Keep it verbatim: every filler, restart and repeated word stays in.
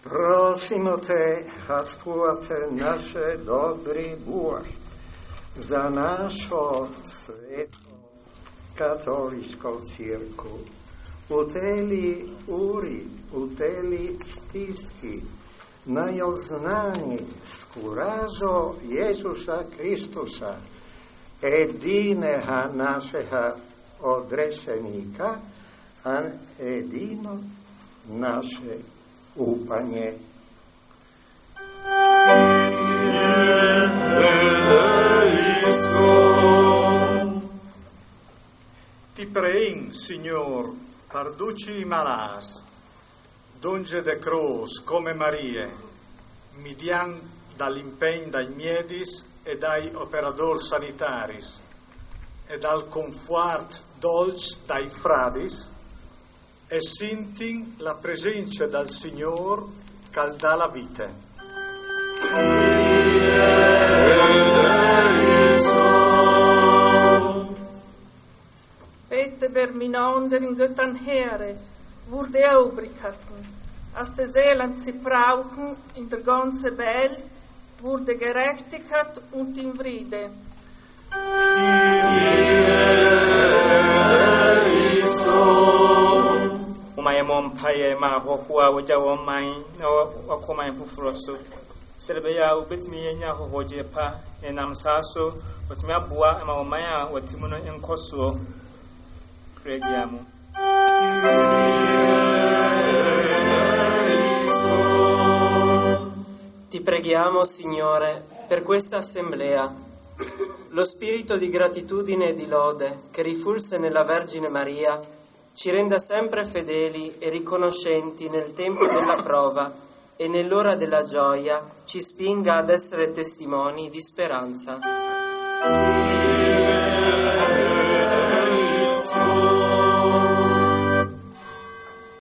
Prosimo te, haspuate naše dobri Buh, za našo sveto katoliško cirku, u teli uri, u teli stiski, najoznani skuražo Jezuša Kristuša, edineha našeha odrešenika, a edino naše upanje. Ti prein, Signor, par duci i malâs, donge de crôs come Marie, midian dal impegn dai miedis e dai operadôrs sanitaris e dal confuart dolç dai fradis, e sintin la presence dal Signôr che al dà la vite. Pete berminonder in göttan here, wurde obrikat, aste selan si brauchen in der ganze Welt, wurde gerechtikat und in Friede. Uma e mon paye ma ho hua o ja o mai o o ko mai fu froso. Selebe ya u betimi ye nya ho ho je pa e nam sa so o timi abua e ma o mai a o timuno en koso. Preghiamo. Ti preghiamo, Signore, per questa assemblea. Lo spirito di gratitudine e di lode che rifulse nella Vergine Maria ci renda sempre fedeli e riconoscenti nel tempo della prova e nell'ora della gioia ci spinga ad essere testimoni di speranza.